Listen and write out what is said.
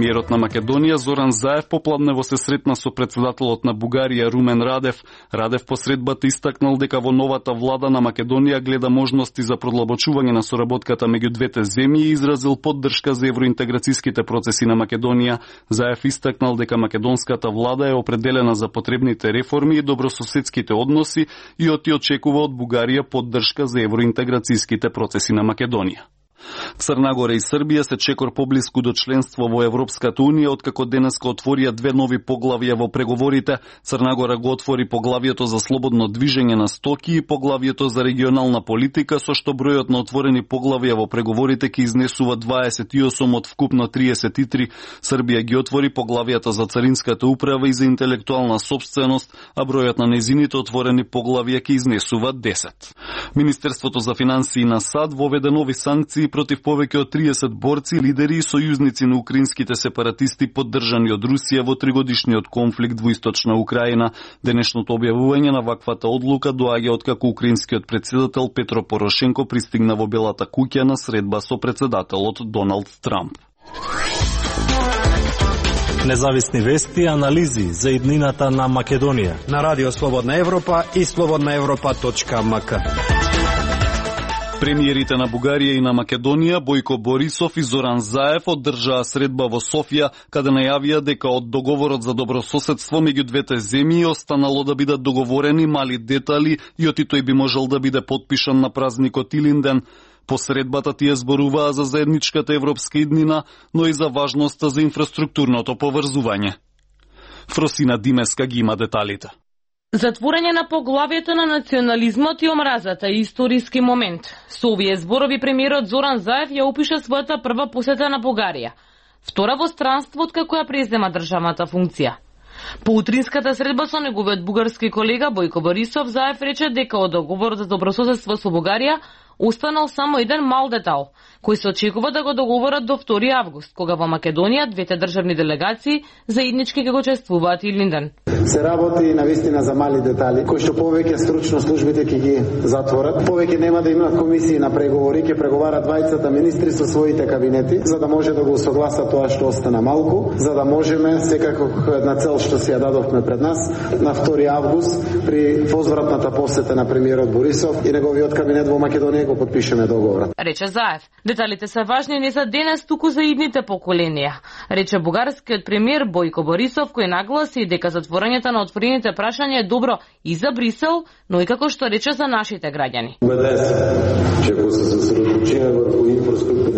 Премиерот на Македонија Зоран Заев попладнево се сретна со претседателот на Бугарија Румен Радев. Радев по средбата истакнал дека во новата влада на Македонија гледа можности за продлабочување на соработката меѓу двете земји и изразил поддршка за евроинтеграцијските процеси на Македонија. Заев истакнал дека македонската влада е определена за потребните реформи и добрососедските односи и очекува од Бугарија поддршка за евроинтеграцијските процеси на Македонија. Црна Гора и Србија се чекор поблиску до членство во Европската Унија, откако денеска отворија две нови поглавја во преговорите. Црна Гора го отвори поглавието за слободно движење на стоки и поглавието за регионална политика, со што бројот на отворени поглавја во преговорите ќе изнесува 28 од вкупно 33. Србија ги отвори поглавијата за царинската управа и за интелектуална собственост, а бројот на незините отворени поглавја ќе изнесува 10. Министерството за финансии на САД воведе нови санкции против повеќе од 30 борци, лидери и сојузници на украинските сепаратисти поддржани од Русија во тригодишниот конфликт во источна Украина. Денешното објавување на ваквата одлука доаѓа откако украинскиот претседател Петро Порошенко пристигна во Белата куќа на средба со претседателот Доналд Трамп. Независни вести и анализи за иднината на Македонија на Радио Слободна Европа и slobodnaevropa.mk. Премиерите на Бугарија и на Македонија Бојко Борисов и Зоран Заев одржаа средба во Софија, каде најавија дека од договорот за добрососедство меѓу двете земји останало да бидат договорени мали детали и оти тој би можел да биде потпишан на празникот Илинден. По средбата тие зборуваа за заедничката европска иднина, но и за важноста за инфраструктурното поврзување. Фросина Димеска ги има деталите. Затворање на поглавието на национализмот и омразата е историски момент. Со овие зборови премиерот Зоран Заев ја опиша својата прва посета на Бугарија, втора во странство откако ја презема државната функција. По утринската средба со неговиот бугарски колега Бојко Борисов, Заев рече дека од договорот за добрососедство со Бугарија останал само еден мал детал, кој се очекува да го договорат до 2 август, кога во Македонија двете државни делегации заеднички ќе го чествуваат Илинден. Се работи навистина за мали детали, кои што повеќе стручно службите ќе ги затворат. Повеќе нема да имаат комисии на преговори, ќе преговарат двајцата министри со своите кабинети, за да може да го согласат тоа што остана малку, за да можеме секако една цел што си ја дадовме пред нас на 2 август при возвратната посета на премиерот Борисов и неговиот кабинет во Македонија го подпишеме договорот. Рече Заев. Деталите се важни не за денес, туку за идните поколенија. Рече бугарскиот премиер Бојко Борисов, кој нагласи дека затворањето на отворените прашања е добро и за Брисел, но и како што рече за нашите граѓани. Убеден сум, че ако се сосредоточиме врху инфраструктура